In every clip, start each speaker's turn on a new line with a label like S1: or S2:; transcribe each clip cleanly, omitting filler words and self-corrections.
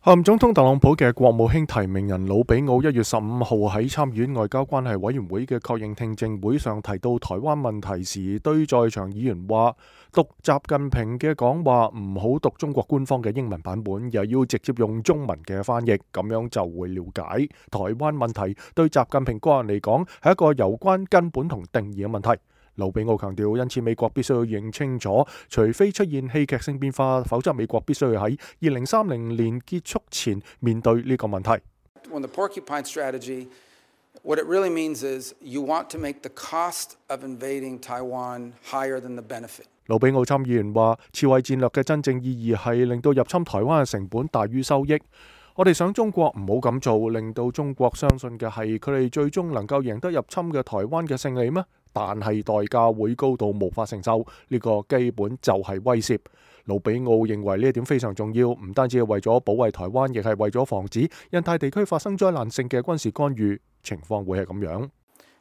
S1: 候任總統特朗普嘅國務卿提名人魯比奧1月15號喺參議院外交關係委員會嘅確認聽證會上提到台灣問題時，對在場議員話：讀習近平嘅講話唔好讀中國官方嘅英文版本，又要直接用中文嘅翻譯，咁樣就會了解台灣問題對習近平個人嚟講係一個有關根本同定義嘅問題。魯比奧強調，因此美國必須要認清楚，除非出現戲劇性變化，否則美國必須要喺2030年結束前面對呢個問題。
S2: When the porcupine strategy, what it really means is you want to make the cost of invading Taiwan higher than the benefit.
S1: 魯比奧參議員話，刺蝟戰略嘅真正意義係令到入侵台灣嘅成本大於收益。我哋想中國唔好咁做，令到中國相信嘅係佢哋最終能夠贏得入侵嘅台灣嘅勝利咩？但係代價會高到無法承受，呢個基本就係威脅。魯比奧認為呢一點非常重要，唔單止係為咗保衛台灣，亦係為咗防止印太地區發生災難性嘅軍事干預，情況會係咁樣。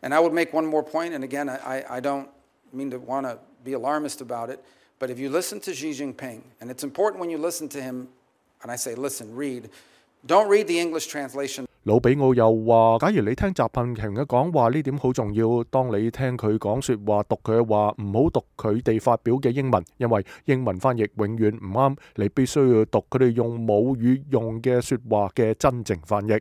S2: And I would make one more point, and again, I don't mean to want to be alarmist about it, but if you listen to Xi Jinping, and it's important when you listen to him, and I say listen, read.Don't read the English translation.
S1: 魯比奧又話：假如你聽習近平嘅講話，呢點好重要。當你聽佢講說話、讀佢嘅話，唔好讀佢哋發表嘅英文，因為英文翻譯永遠唔啱。你必須要讀佢哋用母語用嘅說話嘅真正翻譯。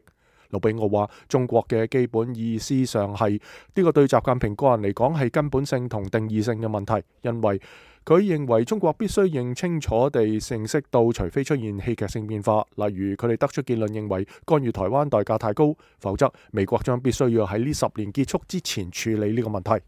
S1: 魯比奧話：中國嘅基本意思上係呢個對習近平個人嚟講係根本性同定義性嘅問題，因為佢認為中國必須認清楚地認識到，除非出現戲劇性變化，例如佢哋得出結論認為干預台灣代價太高，否則美國將必須要喺呢10年結束之前處理呢個問題。